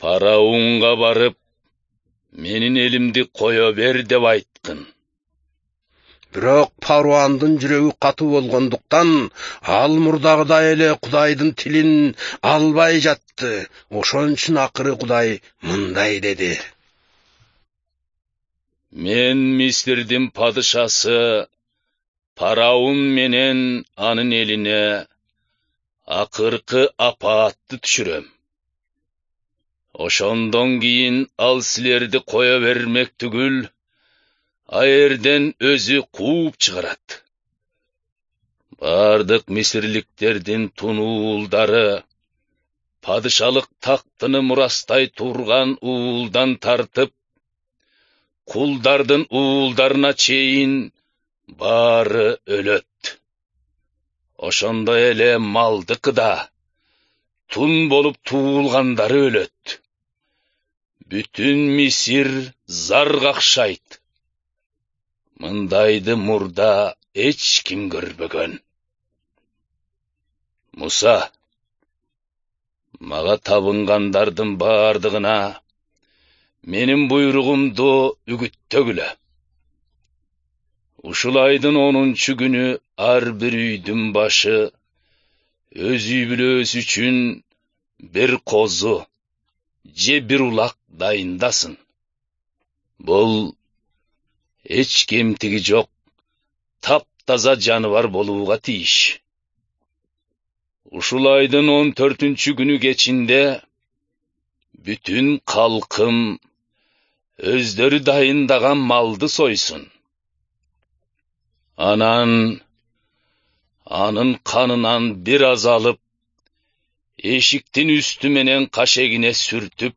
Фараонга барып, менин элимди кое бер деп айткын. Бирок Фараондун жүрөгү катуу болгондуктан, ал мурдагыдай эле Кудайдын тилин албай жатты. Ошон үчүн акыры Кудай мындай деди: Мен Мисирдин падышасы Фараон менен анын элине акыркы апаатты түшүрөм. Ошондон кийин ал силерди кое бермек түгүл, аерден өзү кууп чыгарат. Бардык мисирликтердин тунуулдары падышалык тактыны мурастай турган уулдан тартып, кулдардын уулдарына чейин баары өлөт. Ошондой эле малдыкы да, тун болуп туулгандары өлөт. Бүтүн Мисир зар какшайт. Мындайды мурда эч ким көрбөгөн. Муса, мага табынгандардын бардыгына менин буйругумду үгүттөгүлө. Ушул айдын 10-күнү ар бир үйдүн башы өз үй-бүлөсү үчүн бир козу же бир улак дайындасын. Бул эч кемтиги жок, таптаза жаныбар болууга тийиш. Ушул айдын 14-күнү кечинде бүтүн калкым өздөрү дайындаган малды сойсун. Анан анын канынан бир аз алып, эшиктин үстү менен кашегине сүртүп,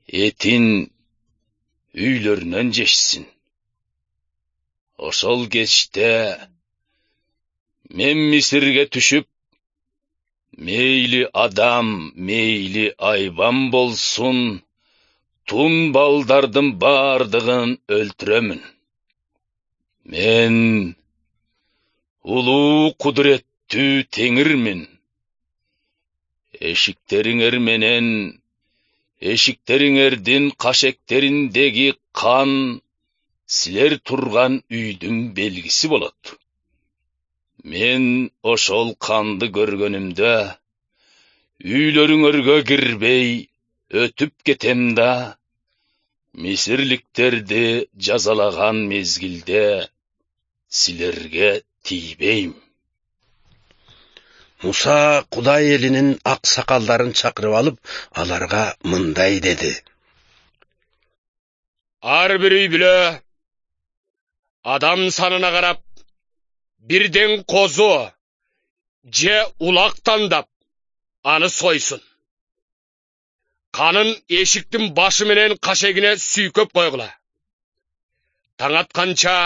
этин үйлөрүнөн жешсин. Ошол кечте мен Мисирге түшүп, мейли адам, мейли айбан болсун, тун балдардын бардыгын өлтүрөмүн. Мен улуу кудуреттүү Теңирмин. Эшиктериңер менен эшиктериңердин кашектериндеги кан силер турган үйдүн белгиси болот. Мен ошол канды көргөнүмдө үйлөрүңөргө кирбей өтүп кетем да, мисирликтерди жазалаган мезгилде силерге тийбейм. Муса Кудай элинин аксакалдарын чакырып алып, аларга мындай деди: Ар бир үй-бүлө адам санына карап бирден козу же улак тандап аны сойсун. Канын эшиктин башы менен кашегине сүйкөп койгула. Таң атканча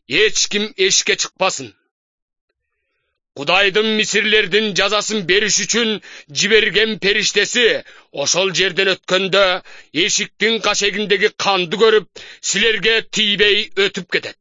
эч ким эшикке чыкпасын. Кудайдын мисирлердин жазасын бериш үчүн жиберген периштеси ошол жерден өткөндө эшиктин кашегиндеги канды көрүп, силерге тийбей өтүп кетет.